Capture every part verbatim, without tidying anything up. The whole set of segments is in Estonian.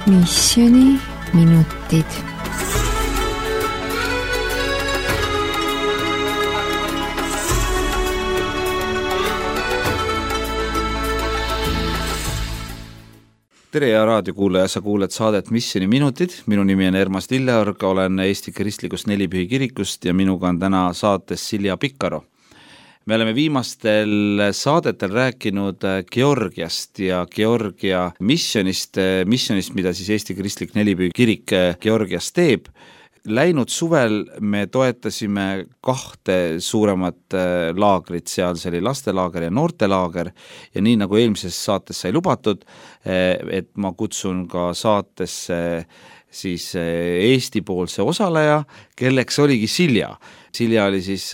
Missioni minutid. Tere ja raadiokuulaja, sa kuuled saadet Missioni minutid. Minu nimi on Ermas Lilleorg, olen Eesti Kristlikust Nelipühi kirikust ja minuga on täna saates Silja Pikaro. Me oleme viimastel saadetel rääkinud Georgiast ja Georgia missionist, missionist, mida siis Eesti Kristlik Nelipühi kirik Georgias teeb. Läinud suvel me toetasime kahte suuremat laagrit, seal see oli lastelaager ja noortelaager ja nii nagu eelmises saates sai lubatud, et ma kutsun ka saatesse siis Eesti poolse osaleja, kelleks oligi Silja. Silja oli siis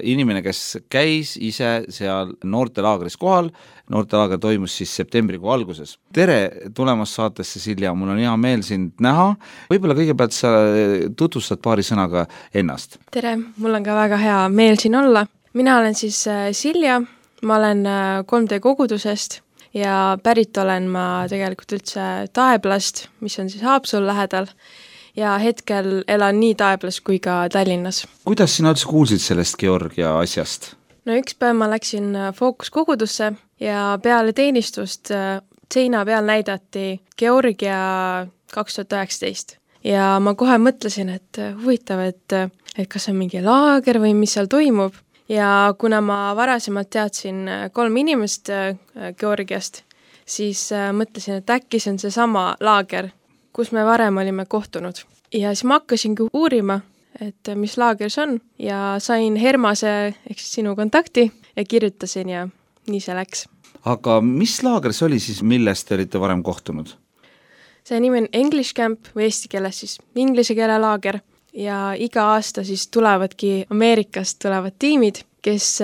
inimene, kes käis ise seal noortelaagris kohal. Noortelaager toimus siis septembrikuu alguses. Tere tulemast saatesse, Silja, mul on hea meel sind näha. Võib-olla kõigepealt sa tutvustad paari sõnaga ennast. Tere, mul on ka väga hea meel siin olla. Mina olen siis Silja, ma olen kolm D kogudusest ja pärit olen ma tegelikult üldse Taeblast, mis on siis Haapsalu lähedal ja hetkel elan nii Taeblas kui ka Tallinnas. Kuidas sina üldse kuulsid sellest Georgia asjast? No üks päev ma läksin Fookus kogudusse ja peale teenistust seina peal näidati Georgia kaks tuhat üheksateist. Ja ma kohe mõtlesin, et huvitav, et, et kas on mingi laager või mis seal toimub. Ja kuna ma varasemalt teadsin kolm inimest Georgiast, siis mõtlesin, et äkki see on see sama laager, kus me varem olime kohtunud. Ja siis ma hakkasingi uurima, et mis laager see on ja sain Hermase ehk sinu kontakti ja kirjutasin ja nii see läks. Aga mis laager see oli siis, millest te olite varem kohtunud? See nimi on English Camp või eesti keeles siis inglise keele laager ja iga aasta siis tulevadki Ameerikast tulevad tiimid, kes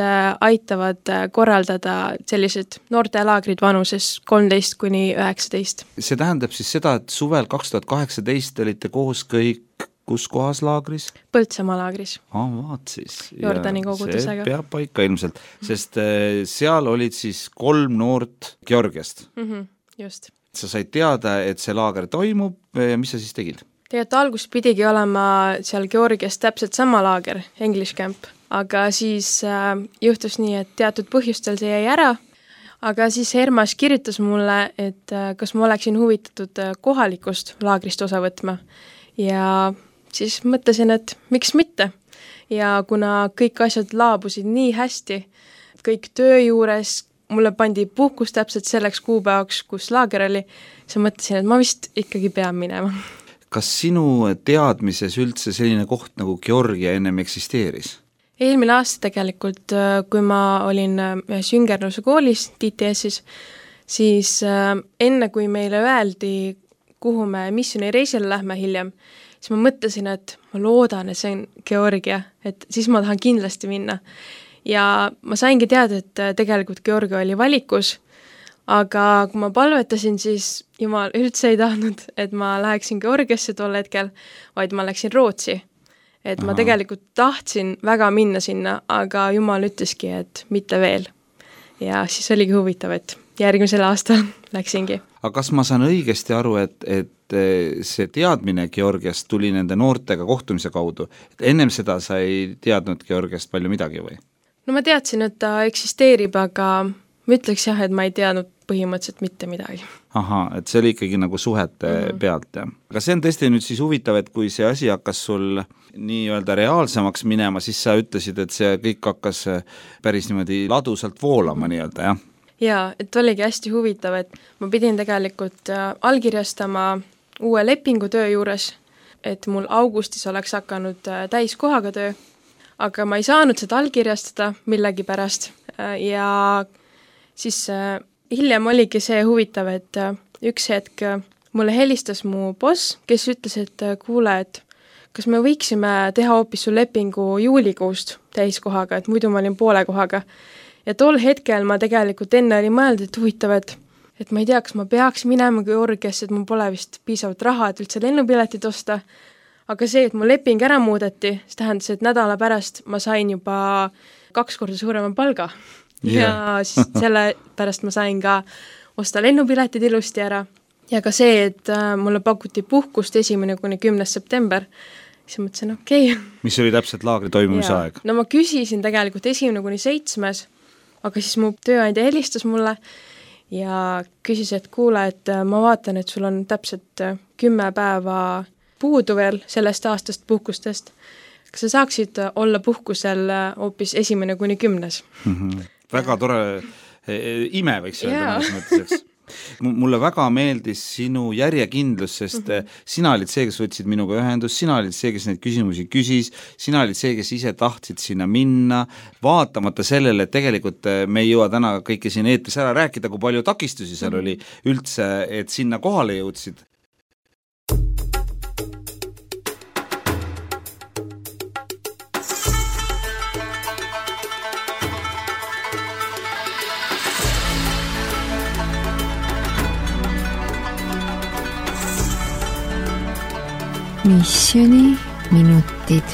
aitavad korraldada sellised noortelaagrid vanuses kolmteist kuni üheksateist. See tähendab siis seda, et suvel kaks tuhat kaheksateist olite koos kõik kus kohas laagris? Põltsamaa laagris. Ah, vaat siis. Jordani kogudusega. See peab paika ilmselt, sest seal olid siis kolm noort Georgiast. Mm-hmm, just. Sa said teada, et see laager toimub ja mis sa siis tegid? Tegelikult algus pidigi olema seal Georgias täpselt sama laager, English Camp, aga siis äh, juhtus nii, et teatud põhjustel see jäi ära, aga siis Hermas kirjutas mulle, et äh, kas ma oleksin huvitatud äh, kohalikust laagrist osa võtma ja siis mõtlesin, et miks mitte. Ja kuna kõik asjad laabusid nii hästi, kõik töö juures, mulle pandi puhkus täpselt selleks kuupäevaks, kus laager oli, siis mõtlesin, et ma vist ikkagi pean minema. Kas sinu teadmises üldse selline koht nagu Georgia ennem eksisteeris? Eelmine aasta tegelikult, kui ma olin ühes Jüngernuse koolis, D T S-is, siis enne kui meile öeldi, kuhu me missiooni reisile lähme hiljem, siis ma mõtlesin, et ma loodan, et see on Georgia, et siis ma tahan kindlasti minna. Ja ma saingi teada, et tegelikult Georgia oli valikus, aga kui ma palvetasin, siis Jumal üldse ei tahtnud, et ma läheksin Georgiasse tol hetkel, vaid ma läksin Rootsi. Et Aha. ma tegelikult tahtsin väga minna sinna, aga Jumal ütleski, et mitte veel. Ja siis oligi huvitav, et järgmisel aastal läksingi. Aga kas ma saan õigesti aru, et, et see teadmine Georgiast tuli nende noortega kohtumise kaudu? Et ennem seda sa ei teadnud Georgiast palju midagi või? No ma teadsin, et ta eksisteerib, aga ma ütleks jah, et ma ei teadnud põhimõtteliselt mitte midagi. Aha, et see oli ikkagi nagu suhete mm-hmm. pealt. Ja. Aga see on tõesti nüüd siis huvitav, et kui see asi hakkas sul nii-öelda reaalsemaks minema, siis sa ütlesid, et see kõik hakkas päris niimoodi ladusalt voolama nii-öelda, jah? Jaa, et oligi hästi huvitav, et ma pidin tegelikult allkirjastama uue lepingu töö juures, et mul augustis oleks hakanud täiskohaga töö, aga ma ei saanud seda allkirjastada millegi pärast ja siis hiljem oligi see huvitav, et üks hetk mulle helistas mu boss, kes ütles, et kuule, et kas me võiksime teha hoopis su lepingu juulikuust täiskohaga, et muidu ma olin poole kohaga. Ja tol hetkel ma tegelikult enne oli mõelnud, et huvitav, et, et ma ei tea, kas ma peaks minema Georgiasse, et mul pole vist piisavalt raha, et üldse lennupiletit osta. Aga see, et mu leping ära muudeti, see tähendas, et nädala pärast ma sain juba kaks korda suurema palga. Yeah. Ja siis selle pärast ma sain ka osta lennupiletid ilusti ära. ja ka see, et mulle pakuti puhkust esimene kuni kümnes september, siis mõtlesin, okei okay. Mis oli täpselt laagri toimumise ja. aeg? No ma küsisin tegelikult esimene kuni seitsmes, aga siis mu tööandja helistas mulle ja küsis, et kuule, et ma vaatan, et sul on täpselt kümme päeva puudu veel sellest aastast puhkustest. Kas sa saaksid olla puhkusel hoopis esimene kuni kümnes? Mm-hmm. Väga tore ime võiks öelda mõnes mõtteseks. Mulle väga meeldis sinu järjekindlus, sest mm-hmm. sina olid see, kes võtsid minuga ühendus, sina olid see, kes neid küsimusi küsis, sina olid see, kes ise tahtsid sinna minna, vaatamata sellele, et tegelikult me ei jõua täna kõike siin eetris ära rääkida, kui palju takistusi seal mm-hmm. oli üldse, et sinna kohale jõudsid. Missioni minutid.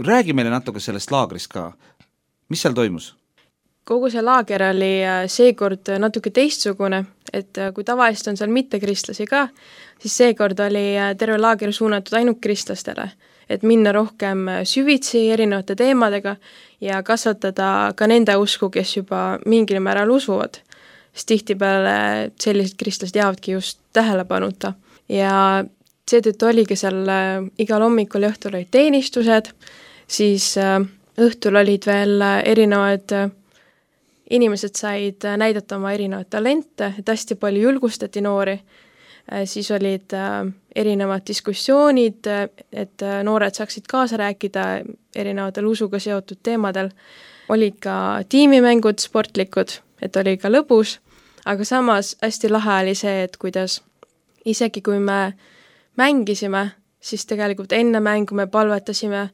Räägi meile natuke sellest laagrist ka. Mis seal toimus? Kogu see laager oli seekord natuke teistsugune, et kui tavaliselt on seal mitte kristlasi ka, siis seekord oli terve laager suunatud ainult kristlastele, et minna rohkem süvitsi erinevate teemadega ja kasvatada ka nende usku, kes juba mingil määral usuvad. Sest tihtipeale sellised kristlased jäävadki just tähelepanuta. Ja seetõttu oligi seal igal hommikul ja õhtul olid teenistused, siis õhtul olid veel erinevad inimesed said näidata oma erinevad talente, et hästi palju julgustati noori. Siis olid erinevad diskussioonid, et noored saaksid kaasa rääkida erinevatel usuga seotud teemadel. Olid ka tiimimängud sportlikud, et oli ka lõbus, aga samas hästi lahe oli see, et kuidas isegi kui me mängisime, siis tegelikult enne mängu me palvetasime,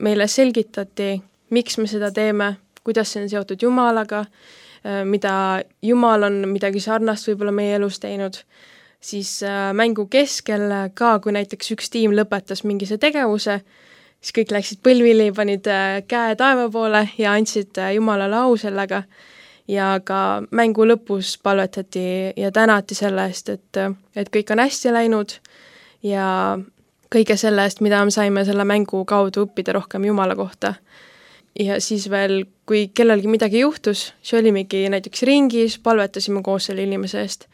meile selgitati, miks me seda teeme, kuidas see on seotud Jumalaga, mida Jumal on midagi sarnast võib-olla meie elus teinud. Siis mängu keskel ka, kui näiteks üks tiim lõpetas mingise tegevuse, siis kõik läksid põlvili, panid käe taeva poole ja andsid Jumalale au sellega. Ja ka mängu lõpus palvetati ja tänati selle eest, et, et kõik on hästi läinud ja kõige selle eest, mida me saime selle mängu kaudu õppida rohkem Jumala kohta. Ja siis veel, kui kellelgi midagi juhtus, see olimegi näiteks ringis, palvetasime koos selle inimese eest.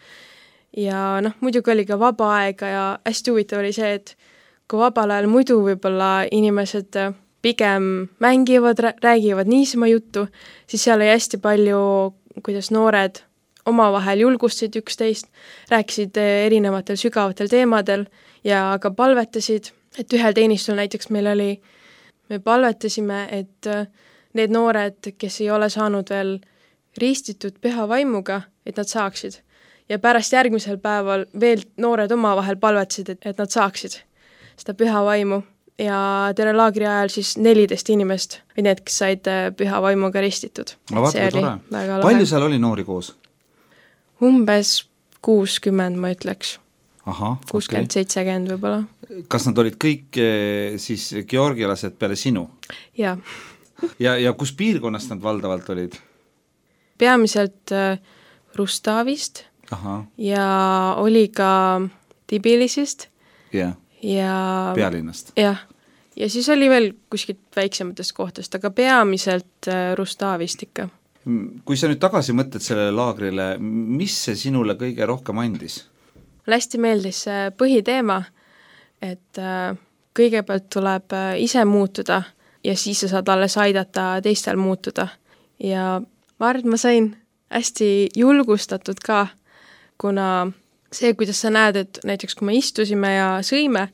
Ja noh, muidugi oli ka vaba aega ja hästi huvitav oli see, et kui vabal ajal muidu võib-olla inimesed pigem mängivad, räägivad niisama juttu, siis seal oli hästi palju, kuidas noored omavahel julgustasid üksteist, rääkisid erinevatel sügavatel teemadel ja ka palvetasid, et ühel teenistul näiteks meil oli, me palvetasime, et need noored, kes ei ole saanud veel ristitud püha vaimuga, et nad saaksid. Ja pärast järgmisel päeval veel noored omavahel palvetasid, et, et nad saaksid seda püha vaimu. Ja terve laagri ajal siis neliteist inimest või need, kes said püha vaimuga ristitud. No, vaata, tore. Palju seal oli noori koos? Umbes kuuskümmend, ma ütleks. Aha, kuuskümmend, okay. seitsekümmend võib-olla. Kas nad olid kõik siis georgialased peale sinu? Jaa. ja, ja kus piirkonnast nad valdavalt olid? Peamiselt Rustavist. Aha. Ja oli ka Tbilisist yeah. ja pealinnast. Jah, ja siis oli veel kuskilt väiksematest kohtast, aga peamiselt Rustavist ikka. Kui sa nüüd tagasi mõtled sellele laagrile, mis see sinule kõige rohkem andis? Mulle hästi meeldis see põhiteema, et kõigepealt tuleb ise muutuda ja siis sa saad alles aidata teistel muutuda. Ja ma arvan, et ma sain hästi julgustatud ka, kuna see, kuidas sa näed, et näiteks kui me istusime ja sõime,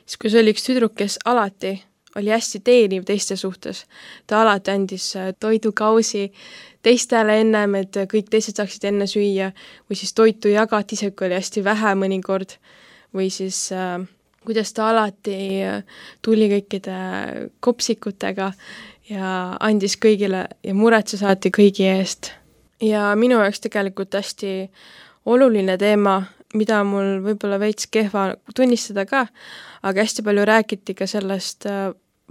siis kui see oli üks tüdruk, kes alati oli hästi teeniv teiste suhtes. Ta alati andis toidukausi teistele ennem, et kõik teised saaksid enne süüa, või siis toitu jagati, see oli hästi vähe mõnikord, või siis äh, kuidas ta alati tuli kõikide kopsikutega ja andis kõigile ja muretses alati kõigi eest. Ja minu jaoks tegelikult hästi oluline teema, mida mul võib-olla veits kehva tunnistada ka, aga hästi palju räägiti ka sellest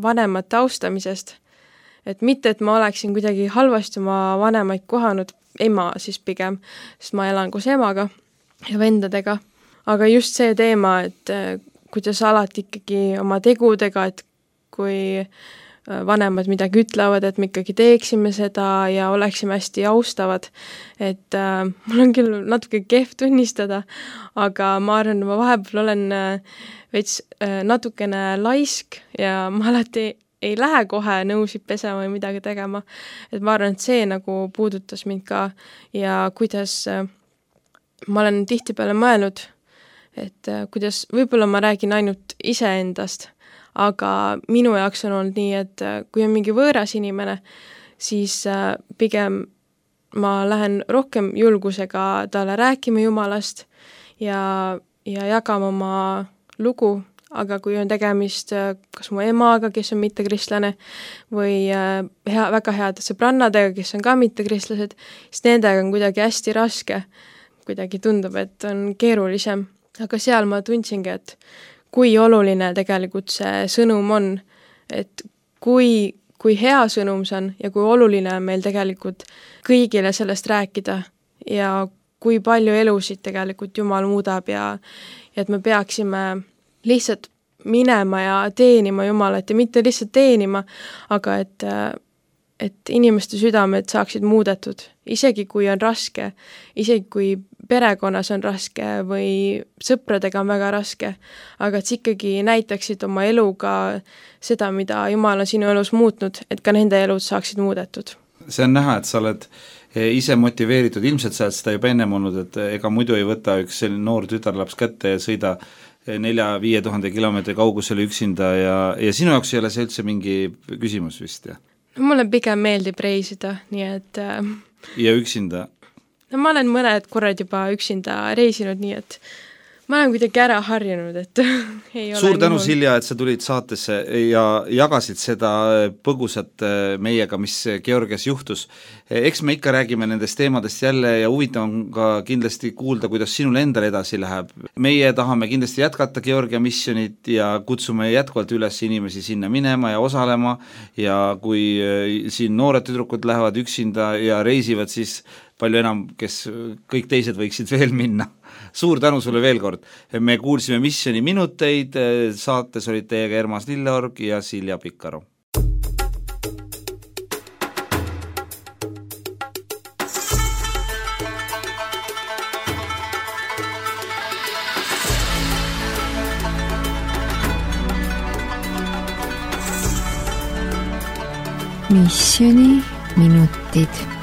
vanemate austamisest. Et mitte, et ma oleksin kuidagi halvasti oma vanemaid kohanud, ema siis pigem, sest ma elan koos emaga ja vendadega. Aga just see teema, et kuidas alati ikkagi oma tegudega, et kui vanemad midagi ütlevad, et me ikkagi teeksime seda ja oleksime hästi austavad. Et äh, mul on küll natuke kehv tunnistada, aga ma arvan, ma vahepeal olen äh, veits äh, natukene laisk ja ma alati ei lähe kohe nõusid pesema või midagi tegema. Et ma arvan, et see nagu puudutas mind ka ja kuidas äh, ma olen tihtipeale mõelnud, et äh, kuidas võib-olla ma räägin ainult iseendast, aga minu jaoks on olnud nii, et kui on mingi võõras inimene, siis pigem ma lähen rohkem julgusega talle rääkima Jumalast ja, ja jagama oma lugu, aga kui on tegemist kas mu emaga, kes on mittekristlane, või hea, väga heade sõbrannadega, kes on ka mittekristlased, siis nendega on kuidagi hästi raske. Kuidagi tundub, et on keerulisem. Aga seal ma tundsingi, et kui oluline tegelikult see sõnum on, et kui, kui hea sõnum see on ja kui oluline on meil tegelikult kõigile sellest rääkida ja kui palju elusid tegelikult Jumal muudab ja, ja et me peaksime lihtsalt minema ja teenima Jumalat ja mitte lihtsalt teenima, aga et, et inimeste südamed saaksid muudetud, isegi kui on raske, isegi kui perekonnas on raske või sõpradega on väga raske, aga et ikkagi näitaksid oma eluga seda, mida Jumal on sinu elus muutnud, et ka nende elud saaksid muudetud. See on näha, et sa oled ise motiveeritud, ilmselt sa oled seda juba ennem olnud, et ega muidu ei võta üks selline noor tütarlaps kätte ja sõida nelja-viie tuhande kilomeetri kaugusele üksinda ja, ja sinu jaoks ei ole see üldse mingi küsimus vist, jah? No, mulle pigem meeldib reisida, nii et äh... ja üksinda? No ma olen mõned korrad juba üksinda reisinud, nii et ma olen kuidagi ära harjunud, et ei ole suur tänu, minul... Silja, et sa tulid saatesse ja jagasid seda põgusat meiega, mis Georgias juhtus. Eks me ikka räägime nendest teemadest jälle ja huvitav on ka kindlasti kuulda, kuidas sinul endal edasi läheb. Meie tahame kindlasti jätkata Georgia missionit ja kutsume jätkuvalt üles inimesi sinna minema ja osalema ja kui siin noored tüdrukud lähevad üksinda ja reisivad, siis palju enam, kes kõik teised võiksid veel minna. Suur tänu sulle veel kord. Me kuulsime Missioni minuteid, saates olid teiega Ermas Lilleorg ja Silja Pikkaro. Missioni minutid.